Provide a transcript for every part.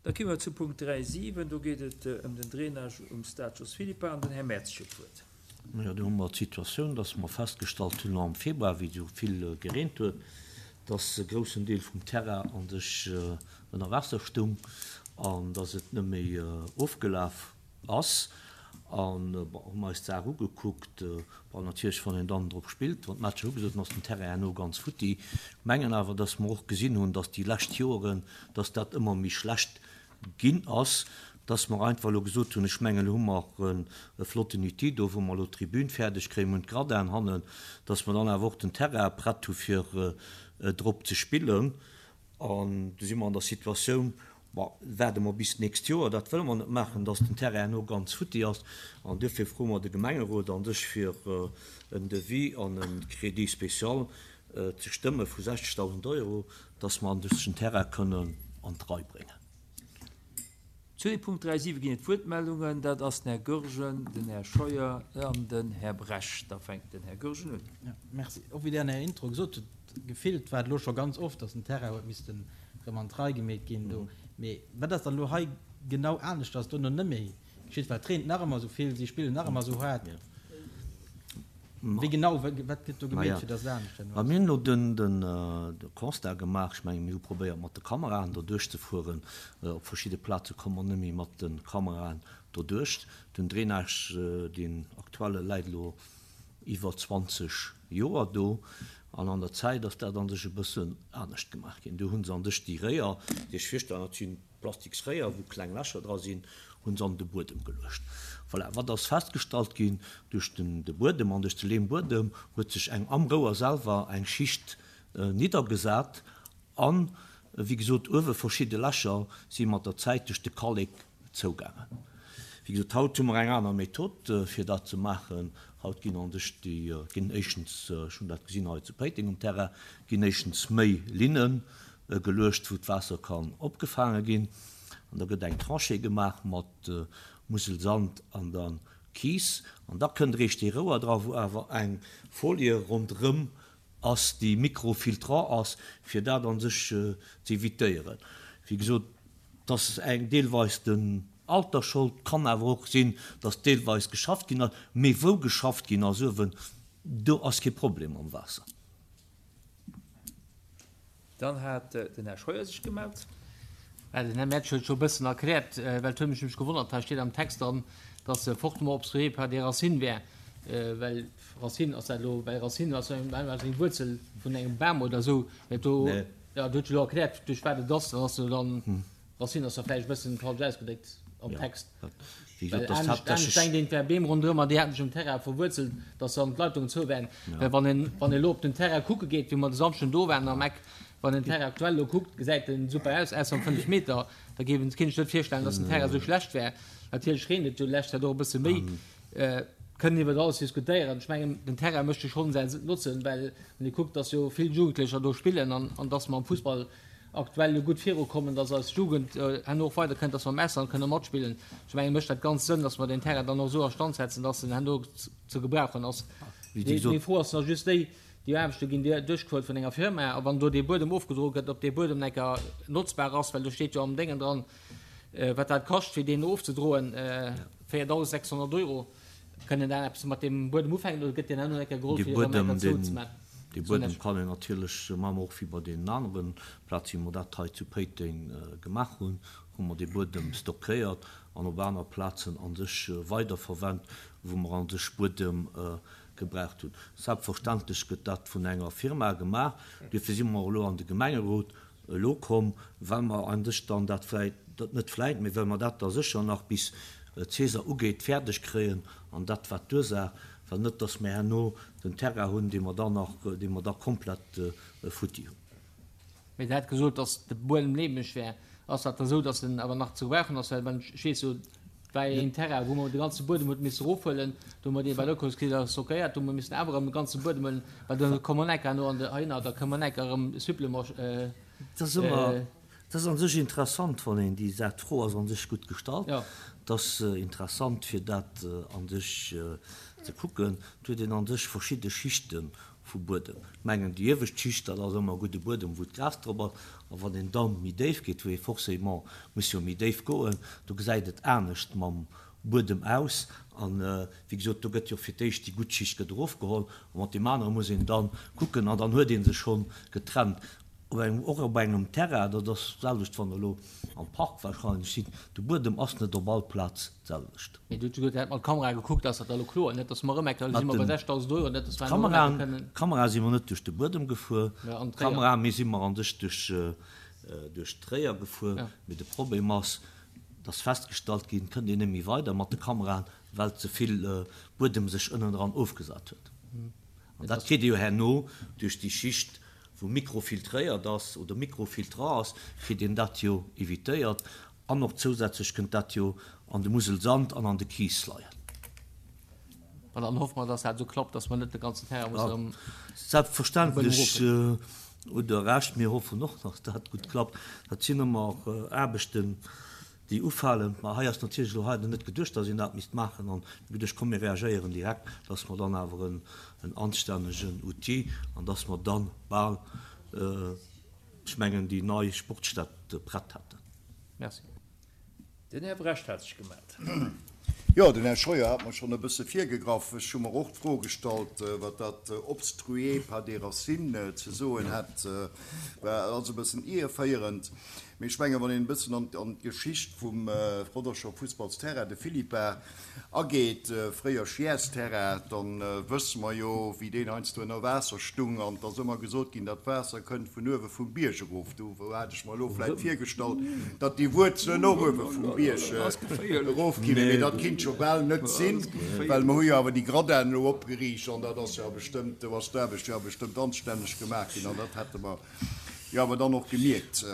Da komme mer zu Punkt 3, 7. Do geet et ëm den Drainage um Stade Jos Philippart an den Här Mertz huet d'Wuert. Jo, do hu mer d'Situatioun, dass mer festgestallt hunn am Februar, wéi esou vill gereent huet, dass e groussen Deel vum Terrain a sech ënner Waasser stung an dass et net méi ofgelaf ass. An, bon, hu mer eis d'Saach ugekuckt. Bon, natierlech, wann een dann drop spillt, wann d'Matcher ugesot sinn, ass den Terrain herno ganz futti. Mengen awer, dass mer och gesinn hunn, dass déi lescht Joeren, dass dat ëmmer méi schlecht ginn ass, dass mer einfach elo gesot hunn, ech mengen, elo hu mer e flotten Outil do, wou mer elo d'Tribün fäerdeg kréien, mir hunn d'Gradin hannen, dass mer dann awer och den Terrain prett hu fir drop ze spillen. An du si mer an der Situatioun, Bon, waarde mer bis d'nächst Joer, dat wëlle mer net maachen, dass den Terrain herno ganz futti ass. An duerfir froe mer de Gemengerot an sech fir en Devis an e Crédit spécial ze stëmme vu 60.000 Euro, dass mer an sech den Terrain kënnen an d'Rei bréngen. Zu dem Punkt 3, 7 ginn et Wuertmeldungen. Dat ass den Här Goergen, den Här Scheuer an den Här Brecht. Da fänkt den Här Goergen un. Jo, merci. Och wéi Der an Ärer Intro gesot hutt, gefillt war et elo scho ganz oft, dass den Terrain huet missten erëm an d'Rei gemeet ginn do. Mee wat ass dann elo hei genau anescht, dass dono net méi geschitt? Well et reent nach ëmmer esou vill, si spillen nach ëmmer esou haart. Wéi genau, wat gëtt do gemeet, fir dass et anescht herno ass? Mir hunn elo de Constat gemaach, ech menge mir hu probéiert mat de Kameraen do duerchzefueren. Op verschidde Plaze komme mer net méi mat de Kameraen doduerch. Den Drainage, deen aktuelle läit elo iwwer 20 Joer do an an der Zäit ass dat an sech e bëssen anescht gemaach ginn. Do hu se an sech déi Réier, déi ech virstellen, dat si plastiks Réier, wou kleng Lächer dra sinn, hu se an de Buedem geluecht. Voilà, wat ass festgestallt ginn? Duerch den de Buedem an duerch de Leembuedem huet sech eng am Rouer selwer eng Schicht niddergesat an, wéi gesot, uewe verschidde Lächer si mat der Zäit duerch de Kallek Zougaangen. Wéi gesot, haut hu mer eng aner Method, fir dat ze maachen. Haut ginn an sech déi, ginn éischtens, ech hunn dat gesinn hei zu Péiteng um Terrain, ginn éischtens méi Linne geluecht, wou d'Waasser kann opgefaange ginn. An da gëtt eng Tranchée gemaach mat Muselsand an da Kies. An da kënnt eréischt dee Rouer dra, wou awer eng Folie ronderëm ass, déi microfiltrant ass, fir dat an sech ze evitéieren. Wéi gesot, 't ass eng deelweis den Alter Schold, kann awer och sinn, dass deelweis geschafft ginn ass, mee wou geschafft ginn ass uewen, do ass kee Problem mam Waasser. Dann hat den Här Scheuer sech gemellt. Well den Här Mertsch huet scho e bëssen erkläert, well et huet mech nämlech gewonnert, hei steet am Text dran, dass se fortement obstrué par des racines wär, well Racine ass dat elo, well Racine ass eng Wuerzel vun engem Bam oder esou, mä do. Jo, du huet jo elo erkläert, duerch wat et ass. Dann ass jo dann, Racine ass da vläicht e bëssen falsch ausgedréckt am Text. Well anescht, anescht denkt een, et wäre Beem ronderëm an déi hätten sech um Terrain verwuerzelt, datt dann d'Leitungen zou wären. Well wann een, wann een elo op den Terrain kucke geet, wéi mer de Samschden do waren am Eck, wann een den Terrain aktuell elo kuckt, gesäit en super aus, ausser am 5 Meter. Da géif een, kéint ech net virstellen, datt den Terrain esou schlecht wär. Natierlech reent et jo déi lescht Zäit och e bësse méi. Kënnen iwwert alles diskutéieren. Ech mengen, den Terrain mécht jo schonn säin Notzen, well wann ee kuckt, dass jo vill Jugendlecher do spillen an, an dass mer am Fussball aktuell jo gutt virukommen, dass eis Jugend herno och weiderkënnt, dass mer am Ausland kënne matspillen. Ech mengen, mécht dat ganz Sënn, dass mer deen Terrain dann och esou a Stand setzen, dass en herno ze gebrauchen ass. Meng Fro ass nach just déi, Déi Aarbechte ginn duerchgefuert vun enger Firma a wann do dee Buedem ofgedroe gëtt, ob dee Buedem enker notzbar ass, well do steet jo am Déngen dran, Wat dat kascht, fir deen ofzedroen, 4.600 Euro. Kënnt een da eppes mat deem Buedem ufänken oder gëtt deen herno eng Kéier geholl, fir erëm eng Kéier zouzemaachen? Dee Buedem kann een natierlech, maache mer och wéi bei deenen anere Plazen, wéi mer dat hei zu Péiteng gemaach hunn, hu mer dee Buedem stockéiert an op aner Plazen a sech weiderverwennt, wou mer a sech Buedem gebraucht hunn. Selbstverständlech gëtt dat vun enger Firma gemaach. Duerfir si mer och elo an de Gemengerot Elo komm, well mer an sech dann dat vläit, net vläit, mee well mer dat da sécher nach bis d'Saison ugeet fäerdeg kréien an dat war d'Ursaach, well net dass mer herno den Terrain hunn, dee mer dann nach, dee mer da komplett futti hunn. Mee Der hat gesot, dass de Buedem leemeg wär. Ass dat da sou, dass en awer nach ze gebrauchen ass? Well wann ech weess jo, et war een Terrain, wou mer de ganze Buedem huet misse erofhuelen, do hu mer dee bei der Ökos-Kris da stockéiert, do hu mer missen awer erëm de ganze Buedem huelen, well do koum en Ecker no an de heihinner, da koum en Ecker erëm Supplément. Dat ass ëmmer, dat ass a sech interessant, wann een déi Saach, d'Fro ass a sech gutt gestallt, et ass interessant fir dat a sech ze kucken. Et huet een a sech verschidde Schichte. Vu Buedem. Ech mengen, déi iewescht Schicht, dat ass ëmmer gudde Buedem, wou d'Gras drop ass. A wann een da méi déif geet, wou ee forcément muss jo méi déif goen, do gesäit et anescht mam Buedem aus. An, wéi gesot, do gëtt jo fir d'éischt déi gutt Schicht gëtt erofgeholl a mat deem anere muss een da kucken an dann huet ee se schonn getrennt. Op engem, och op engem Terrain, dat ass d'selwecht, wann Der elo am Park wahrscheinlech sidd, de Buedem ass net op all Plaz d'selwecht. Mee du hutt jo mat Kamera gekuckt, ass dat da elo kloer? Net datt mer erëm eng Kéier, elo si mer bei 6.000 Euro, net datt mer elo erëm eng Kéier kënnen. D'Kamera si mer net duerch de Buedem gefuer, d'Kamera, mee si mer an sech duerch, duerch d'Réier gefuer. Mee de Problem ass, et ass festgestallt ginn, et kënnt een net méi weider mat de Kameraen, well ze vill Buedem sech ënnendran ofgesat huet. An dat kritt ee jo herno duerch déi Schicht, wou mikrofiltréiert ass oder mikrofiltrant ass, kritt een dat jo evitéiert. An och zousätzlech kënnt dat jo an de Muselsand an an de Kiis leien. An dann hoffe mer, dass dat esou klappt, dass mer net de ganzen Terrain musse erëm. Selbstverständlech hutt Der Recht. Mir hoffen och, dass dat gutt klappt. Dat sinn ëmmer Aarbechten, déi ufalen. Mä hei ass natierlech elo hei net geduecht, dass een dat misst maachen. An mir hu geduecht, komm mir reagéieren direkt, dass mer dann awer en anstännegen Outil an dass mer dann bal, ech mengen, déi nei Sportstätt prett hätten. Merci. Den Här Brecht hat sech gemellt. Jo, den Här Scheuer hat mer schonn e bësse virgegraff. Ech hu mer och d'Fro gestallt, wat dat obstrué par des racines ze soen hätt. War also e bëssen ierféierend. Mee ech mengen, wann een e bëssen an d'Geschicht vum Roderscher Fussballsterrain, de Philippa, ageet, fréier Schiässterrain, da wësse mer jo, wéi deen heiansdo ënner Waasser stung. An et ass ëmmer gesot ginn, dat Waasser kënnt vun uewe vum Bierg erof. Do hat ech mer elo vläicht virgestallt, datt déi Wuerzelen och uewe vum Bierg erofginn. Mee dat kinnt jo bal net sinn, well mer hu jo awer déi Gradinen elo opgeriicht an dat ass jo bestëmmt, do ass d'Aarbecht jo bestëmmt anstänneg gemaach ginn an dat hätte mer jo awer dann och gemierkt.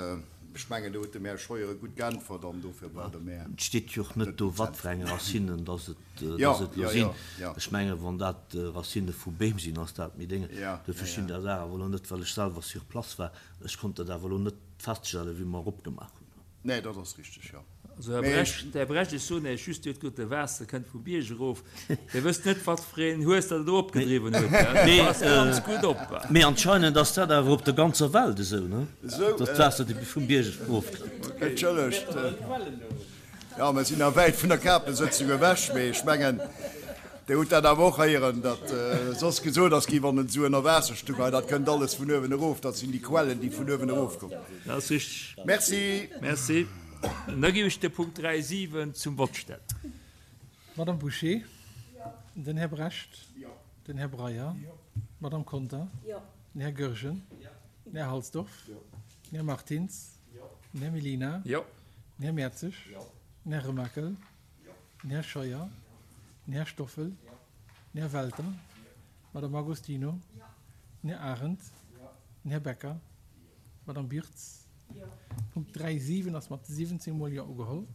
Ech mengen, do huet dem Här Scheuer gutt geäntwert an dofir brauch de Här. Et steet jo och net do, wat fir eng Racinen dass et elo sinn. Ech mengen, wann dat Racine vu Beem sinn, ass dat méi Dénge. Dofir stinn där Saach awer elo net, well ech selwer sur place war. Ech konnt dat awer elo net feststellen, wéi mer eropgemaach hunn. Nee, dat ass richteg, jo. Also, Här Brecht, Här Brecht, ech soen Iech just, Dir hutt gesot, de Waasser kënnt vum Bierg erof. Dir wësst net, wat fir een Hues dat elo opgedriwwen huet, gell? Passt ganz gutt op. Mee anscheinend ass dat awer op der ganzer Welt esou, ne? Dass d'Waasser vum Bierg erofkënnt. Entschëllegt, jo, mer sinn nach wäit vun der Kapesëtzung ewech, mee ech mengen, Dir hutt dat awer och héieren, datt soss gesot ass ginn, wann et esou ënner Waasser stung, hei, dat kënnt alles vun uewen erof, dat sinn déi Quellen, déi vun uewen erofkommen. Dat ass richteg. Merci. Merci. An da géif ech de Punkt 3, 7 zum Vott stellen. D'Madame Bouché? Den Här Brecht? Den Här Breyer? D'Madame Conter? Den Här Goergen? Den Här Halsdorf? Den Här Martins? Den Här Mellina? Den Här Mertzig? Den Här Remakel? Den Här Scheuer? Den Här Stoffel? Den Här Welter? D'Madame Agostino? Den Här Arendt? Den Här Becker? D'Madame Birtz? Punkt 3, 7 ass mat 17 mol Jo ugeholl.